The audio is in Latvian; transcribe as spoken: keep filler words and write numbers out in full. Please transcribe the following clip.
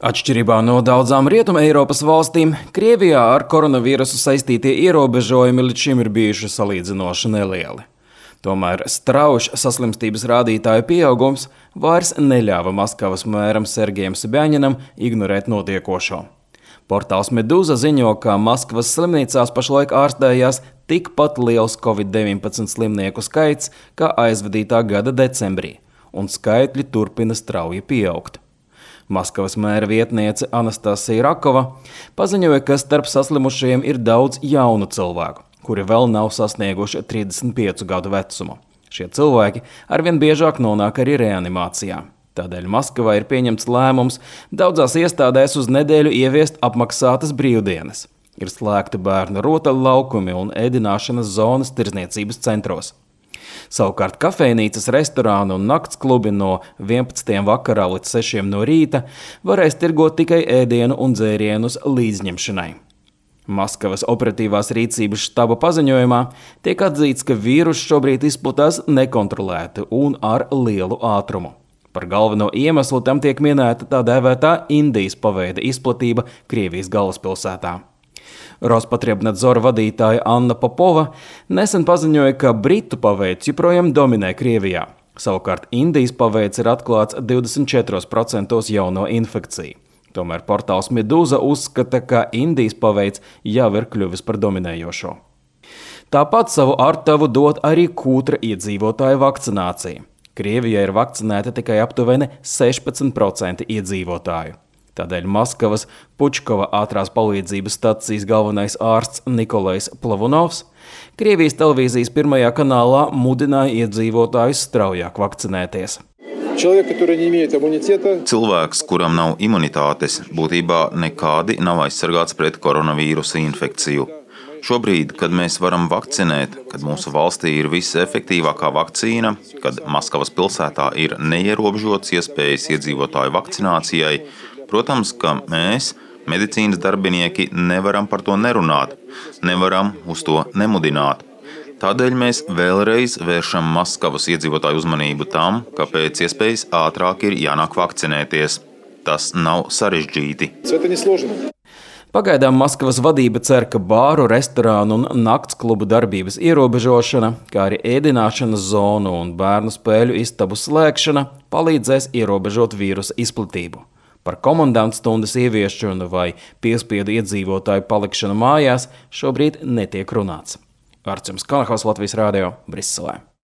Atšķirībā no daudzām Rietuma Eiropas valstīm, Krievijā ar koronavīrusu saistītie ierobežojumi līdz šim ir bijuši salīdzinoši nelieli. Tomēr strauji saslimstības rādītāju pieaugums vairs neļāva Maskavas mēram Sergejam Sobjaņinam ignorēt notiekošo. Portāls Meduza ziņo, ka Maskavas slimnīcās pašlaik ārstējās tikpat liels covid deviņpadsmit slimnieku skaits kā aizvadītā gada decembrī, un skaitļi turpina strauji pieaugt. Maskavas mēra vietniece Anastasija Rakova paziņoja, ka starp saslimušajiem ir daudz jaunu cilvēku, kuri vēl nav sasnieguši trīsdesmit piecu gadu vecumu. Šie cilvēki arvien biežāk nonāk arī reanimācijā. Tādēļ Maskavā ir pieņemts lēmums daudzās iestādēs uz nedēļu ieviest apmaksātas brīvdienas. Ir slēgti bērnu rotaļlaukumi un ēdināšanas zonas tirdzniecības centros. Savukārt kafejnīcas, restorāni un naktsklubi no vienpadsmitiem vakarā līdz sešiem no rīta varēs tirgot tikai ēdienu un dzērienus līdzņemšanai. Maskavas operatīvās rīcības štaba paziņojumā tiek atzīts, ka vīruss šobrīd izplatās nekontrolēti un ar lielu ātrumu. Par galveno iemeslu tam tiek minēta tā dēvētā Indijas paveida izplatība Krievijas galvaspilsētā. Rospotrebnadzora vadītāja Anna Popova nesen paziņoja, ka Britu paveids joprojām dominē Krievijā. Savukārt Indijas paveids ir atklāts divdesmit četros procentos jauno infekciju. Tomēr portāls Meduza uzskata, ka Indijas paveids jau ir kļuvis par dominējošo. Tāpat savu artavu dod arī kūtra iedzīvotāju vakcinācija. Krievijā ir vakcinēta tikai aptuveni sešpadsmit procenti iedzīvotāju. Tādēļ Maskavas Pučkova ātrās palīdzības stacijas galvenais ārsts Nikolais Plavunovs Krievijas televīzijas pirmajā kanālā mudināja iedzīvotājus straujāk vakcinēties. Cilvēks, kuram nav imunitātes, būtībā nekādi nav aizsargāts pret koronavīrusa infekciju. Šobrīd, kad mēs varam vakcinēt, kad mūsu valstī ir visefektīvākā vakcīna, kad Maskavas pilsētā ir neierobežotas iespējas iedzīvotāju vakcinācijai, protams, ka mēs, medicīnas darbinieki, nevaram par to nerunāt, nevaram uz to nemudināt. Tādēļ mēs vēlreiz vēršam Maskavas iedzīvotāju uzmanību tam, ka pēc iespējas ātrāk ir jānāk vakcinēties. Tas nav sarežģīti. Pagaidām Maskavas vadība cer, ka bāru, restorānu un naktsklubu darbības ierobežošana, kā arī ēdināšanas zonu un bērnu spēļu istabu slēgšana palīdzēs ierobežot vīrusa izplatību. Par komandantu stundas ieviešanu vai piespiedu iedzīvotāju palikšanu mājās šobrīd netiek runāts. Artjums Konahaus, Latvijas Rādio, Briselē.